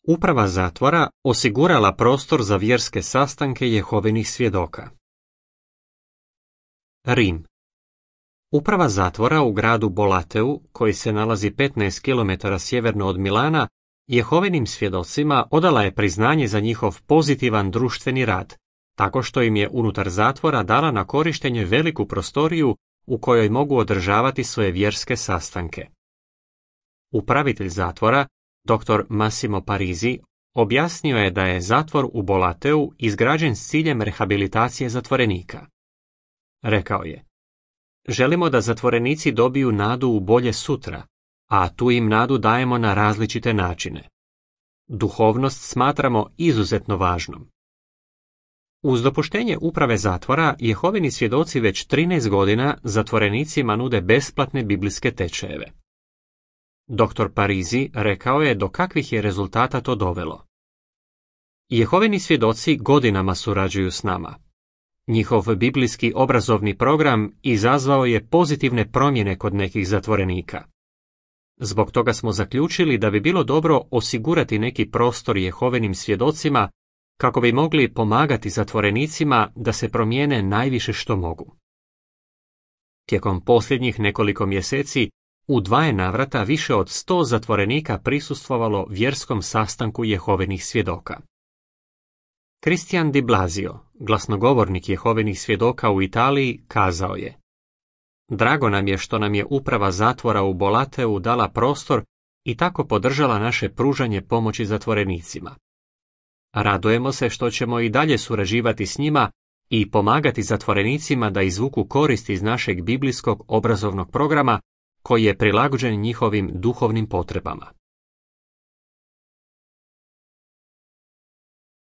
Uprava zatvora osigurala prostor za vjerske sastanke Jehovinih svjedoka. Rim. Uprava zatvora u gradu Bolateu, koji se nalazi 15 km sjeverno od Milana, Jehovinim svjedocima odala je priznanje za njihov pozitivan društveni rad, tako što im je unutar zatvora dala na korištenje veliku prostoriju u kojoj mogu održavati svoje vjerske sastanke. Upravitelj zatvora, dr. Massimo Parisi, objasnio je da je zatvor u Bolateu izgrađen s ciljem rehabilitacije zatvorenika. Rekao je: želimo da zatvorenici dobiju nadu u bolje sutra, a tu im nadu dajemo na različite načine. Duhovnost smatramo izuzetno važnom. Uz dopuštenje uprave zatvora, Jehovini svjedoci već 13 godina zatvorenicima nude besplatne biblijske tečajeve. Dr. Parisi rekao je do kakvih je rezultata to dovelo. Jehovini svjedoci godinama surađuju s nama. Njihov biblijski obrazovni program izazvao je pozitivne promjene kod nekih zatvorenika. Zbog toga smo zaključili da bi bilo dobro osigurati neki prostor Jehovinim svjedocima kako bi mogli pomagati zatvorenicima da se promijene najviše što mogu. Tijekom posljednjih nekoliko mjeseci u 2 navrata više od 100 zatvorenika prisustvovalo vjerskom sastanku Jehovinih svjedoka. Christian Di Blasio, glasnogovornik Jehovinih svjedoka u Italiji, kazao je: drago nam je što nam je uprava zatvora u Bolateu dala prostor i tako podržala naše pružanje pomoći zatvorenicima. Radujemo se što ćemo i dalje surađivati s njima i pomagati zatvorenicima da izvuku korist iz našeg biblijskog obrazovnog programa koji je prilagođen njihovim duhovnim potrebama.